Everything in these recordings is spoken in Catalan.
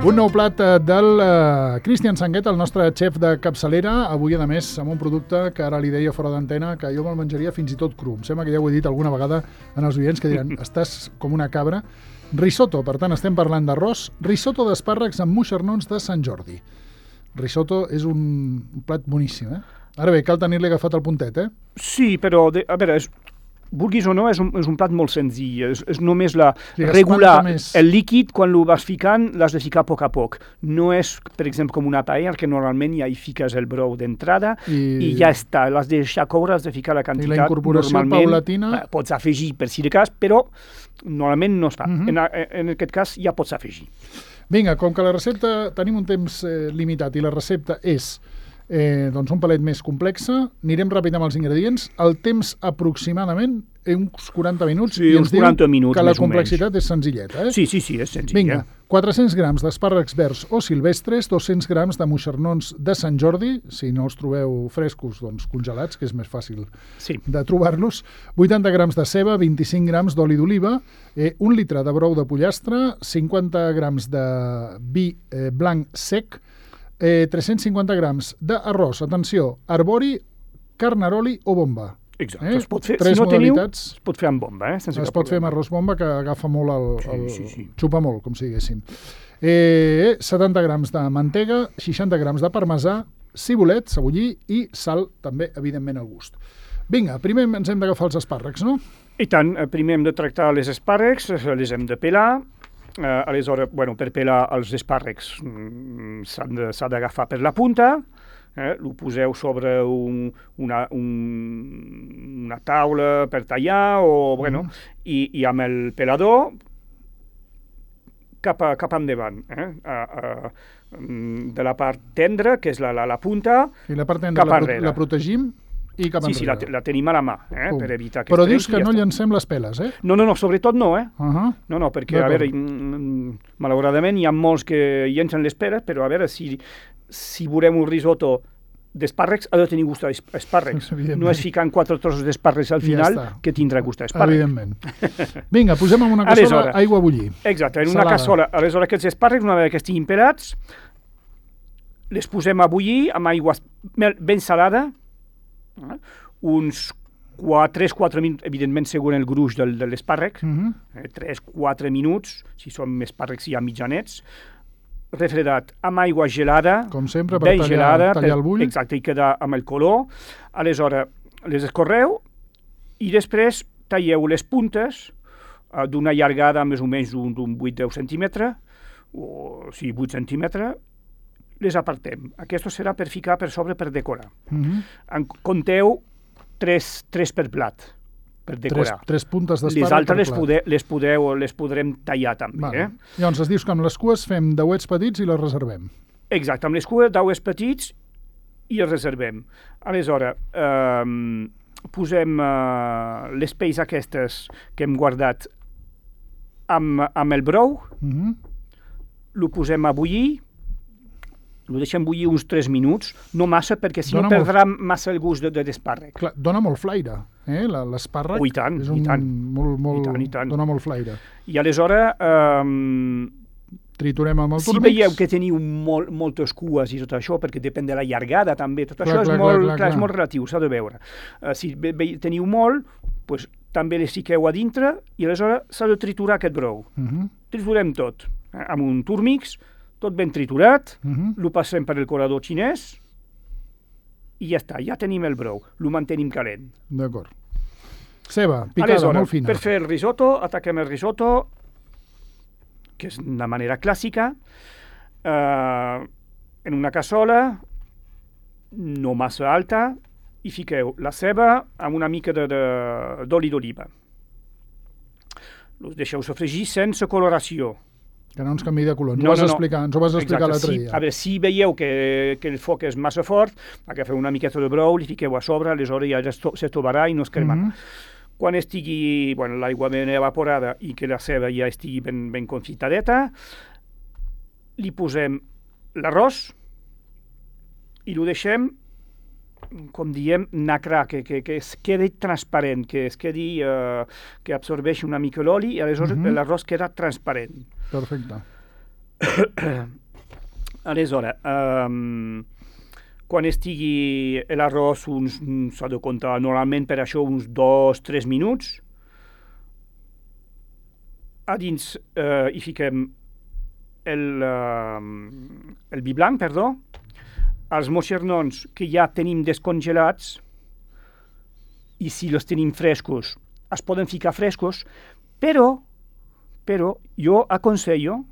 Un nou plat del Cristian Sanguet, el nostre xef de capçalera, avui, a més, amb un producte que ara li deia fora d'antena que jo me'l menjaria fins i tot cru. Em sembla que ja ho he dit alguna vegada en els oients que diran, estàs com una cabra. Risotto, per tant, estem parlant d'arròs. Risotto d'espàrrecs amb moixernons de Sant Jordi. Risotto és un plat boníssim, eh? Ara bé, cal tenir-li agafat el puntet, eh? Sí, però, a veure, vulguis o no, és un plat molt senzill. És només regular el líquid, quan ho vas ficant, l'has de ficar a poc. No és, per exemple, com una paella, que normalment ja hi fiques el brou d'entrada i ja està. L'has de deixar coure, has de ficar la quantitat. I la incorporació paulatina? Pots afegir per si de cas, però normalment no es fa. En aquest cas ja pots afegir. Vinga, com que la recepta tenim un temps limitat i la recepta és doncs un palet més complexa, anirem ràpid amb els ingredients. El temps aproximadament uns 40 minuts, sí, i ens diu minuts, que la complexitat és senzilleta. Sí, és senzill. Vinga, 400 grams d'espàrrecs verds o silvestres, 200 grams de moixernons de Sant Jordi, si no els trobeu frescos, doncs congelats, que és més fàcil de trobar-los, 80 grams de ceba, 25 grams d'oli d'oliva, 1 litre de brou de pollastre, 50 grams de vi blanc sec, 350 grams d'arròs, atenció, arbori, carnaroli o bomba. Exacte, es pot fer, si no teniu, es pot fer amb bomba. Es pot fer amb arròs bomba, que agafa molt xupa molt, com si diguéssim. 70 grams de mantega, 60 grams de parmesà, cibulet, cebollí i sal, també, evidentment, al gust. Vinga, primer ens hem d'agafar els espàrrecs, no? I tant, primer hem de tractar les espàrrecs, les hem de pelar. Aleshores, per pelar els espàrrecs s'ha d'agafar per la punta, ho poseu sobre una taula per tallar i amb el pelador cap endavant. De la part tendra, que és la punta, i la part tendra la protegim i cap enrere. Sí, la tenim a la mà, per evitar que Però dius que no llancem les peles, eh? No, sobretot no, No, perquè, a veure, malauradament hi ha molts que llancen les peles, però a veure, si veurem un risotto d'espàrrecs, ha de tenir gust d'espàrrecs. No és ficant 4 trossos d'espàrrecs al final que tindrà gust d'espàrrecs. Evidentment. Vinga, posem en una cassola aigua a bullir. Exacte, en una cassola. Aleshores, aquests espàrrecs, una vegada que estiguin pelats, les posem a bullir amb aigua ben salada, uns 3-4 minuts, evidentment segons el gruix de l'espàrrec, 3-4 minuts, si són espàrrecs ja mitjanets, refredat amb aigua gelada, com sempre, per tallar el bull. Exacte, i quedar amb el color. Aleshores, les escorreu i després talleu les puntes d'una llargada més o menys d'un 8-10 centímetres, o 8 centímetres, les apartem. Aquest serà per ficar per sobre per decorar. En compteu 3 per plat, per decorar. 3 puntes d'espàrrec per plat. Les podrem tallar també. Llavors, es dius que amb les cues fem dauets petits i les reservem. Exacte, amb les cues, dauets petits i els reservem. Aleshores, posem les pells aquestes que hem guardat amb el brou, lo posem a bullir, ho deixem bullir uns 3 minuts, no massa, perquè si no perdrà massa el gust de l'espàrrec. Clar, dona molt flaire, l'espàrrec. I tant, i tant. Dona molt flaire. I aleshores triturem amb el turmix. Si veieu que teniu moltes cues i tot això, perquè depèn de la llargada també, tot això és molt relatiu, s'ha de veure. Si teniu molt, també les fiqueu a dintre i aleshores s'ha de triturar aquest brou. Triturem tot, amb un turmix, tot ben triturat, lo passem per el colador xinès i ja està, ja tenim el brou, lo mantenim calent. D'acord. Ceba, picada, molt fina. Per fer el risotto, ataquem el risotto, que és una manera clàssica, en una cassola, no massa alta, i fiqueu la ceba amb una mica d'oli d'oliva. Los deixeu sofregir sense coloració. Que no ens canviï de color. Ens ho vas explicar l'altre dia. A veure, si veieu que el foc és massa fort, agafeu una miqueta de brou, li fiqueu a sobre, aleshores ja se trobarà i no es cremarà. Quan estigui l'aigua ben evaporada i que la ceba ja estigui ben confitadeta, li posem l'arròs i lo deixem com diem, nacrar, que es quedi transparent, que es quedi, que absorbeixi una mica l'oli i aleshores l'arròs queda transparent. Perfecte. Aleshores, quan estigui l'arròs, s'ha de comptar normalment per això uns 2-3 minuts. A dins hi fiquem el vi blanc, perdó, els moixernons que ja tenim descongelats, i si els tenim frescos, es poden ficar frescos, però jo aconsello,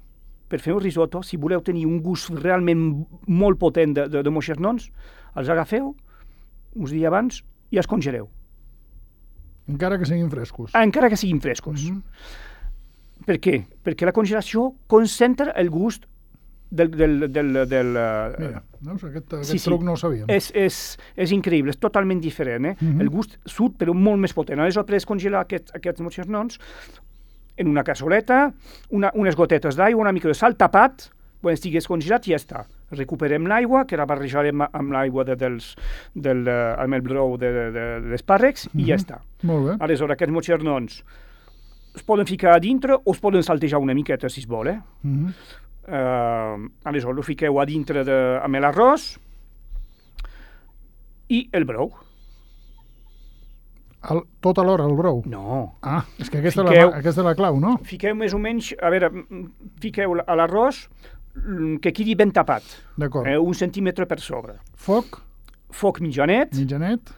per fer un risotto, si voleu tenir un gust realment molt potent de moixernons, els agafeu uns dies abans i els congeleu. Encara que siguin frescos. Encara que siguin frescos. Per què? Perquè la congelació concentra el gust del... Mira, no? Aquest truc no ho sabíem. És increïble, és totalment diferent. El gust surt, però molt més potent. Aleshores, per descongelar aquests moixernons, en una cassoleta, unes gotetes d'aigua, una mica de sal, tapat, quan estigui descongelat i ja està. Recuperem l'aigua, que la barrejarem amb l'aigua amb el brou de l'espàrrecs i ja està. Molt bé. Aleshores, aquests moixernons es poden ficar a dintre o es poden saltejar una miqueta, si es vol. Aleshores, ho fiqueu a dintre amb l'arròs i el brou. Tot alhora, el brou? No. Ah, és que aquesta és la clau, no? Fiqueu més o menys, a veure, fiqueu a l'arròs que quedi ben tapat. D'acord. 1 centímetre per sobre. Foc? Foc mitjanet. Mitjanet.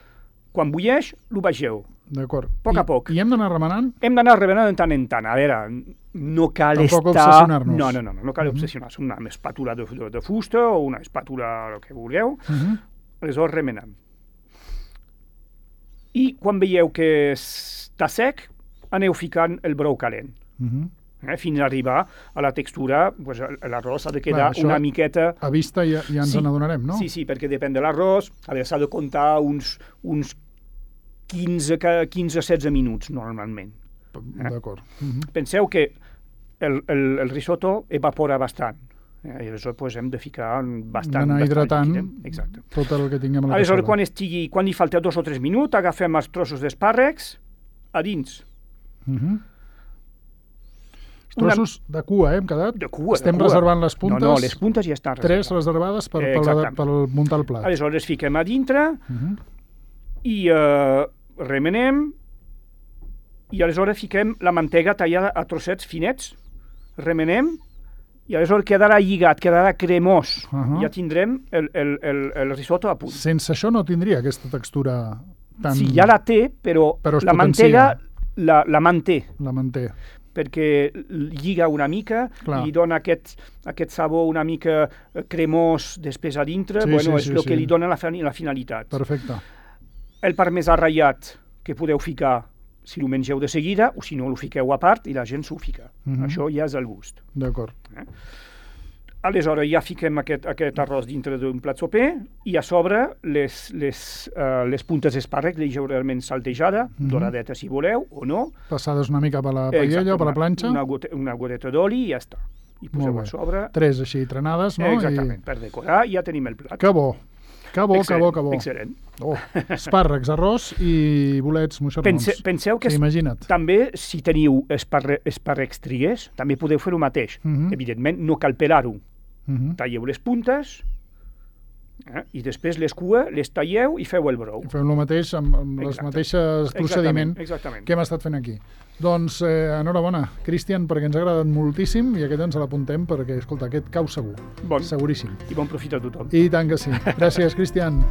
Quan bulleix, lo baixeu. D'acord. A poc a poc. I hem d'anar remenant? Hem d'anar remenant de tant en tant. A veure, no cal Tampoc estar... obsessionar-nos. No cal obsessionar-se. Una espàtula de fusta o una espàtula, el que vulgueu. Aleshores, remenant. I quan veieu que està sec, aneu ficant el brou calent. Fins a arribar a la textura, l'arròs ha de quedar una miqueta... A vista ja ens n'adonarem, no? Sí, perquè depèn de l'arròs. A veure, s'ha de comptar uns 15-16 minuts, normalment. D'acord. Penseu que el risotto evapora bastant. I aleshores hem de ficar bastant... D'anar hidratant tot el que tinguem a la cassola. Aleshores, quan li falta 2 o 3 minuts, agafem els trossos d'espàrrecs a dins. Els trossos de cua, hem quedat? De cua. Estem reservant les puntes? No, les puntes ja estan reservades. 3 reservades per muntar el plat. Aleshores, fiquem a dintre i remenem i aleshores fiquem la mantega tallada a trossets finets, remenem i aleshores quedarà lligat, quedarà cremós. Ja tindrem el risotto a punt. Sense això no tindria aquesta textura tan... Sí, ja la té, però la mantega la manté. La manté. Perquè lliga una mica i dona aquest sabor una mica cremós després a dintre. És el que li dona la finalitat. Perfecte. El parmesà ratllat que podeu ficar si ho mengeu de seguida, o si no, ho fiqueu a part i la gent s'ho fica. Això ja és el gust. D'acord. Aleshores, ja fiquem aquest arròs dintre d'un plat soper i a sobre les puntes d'espàrrec lleugerament saltejada, doradeta si voleu, o no. Passades una mica per la paella o per la planxa. Una goteta d'oli i ja està. I poseu a sobre. 3 així trenades, no? Exactament, per decorar ja tenim el plat. Que bo. Que bo. Excel·lent. Espàrrecs, arròs i bolets moixernons. Penseu que també, si teniu espàrrecs triguers, també podeu fer el mateix. Evidentment, no cal pelar-ho. Talleu les puntes i després les cues les talleu i feu el brou. Feu el mateix amb els mateixos procediments que hem estat fent aquí. Doncs enhorabona, Cristian, perquè ens ha agradat moltíssim i aquest ens l'apuntem perquè, escolta, aquest cau segur. Seguríssim. I bon profit a tothom. I tant que sí. Gràcies, Cristian.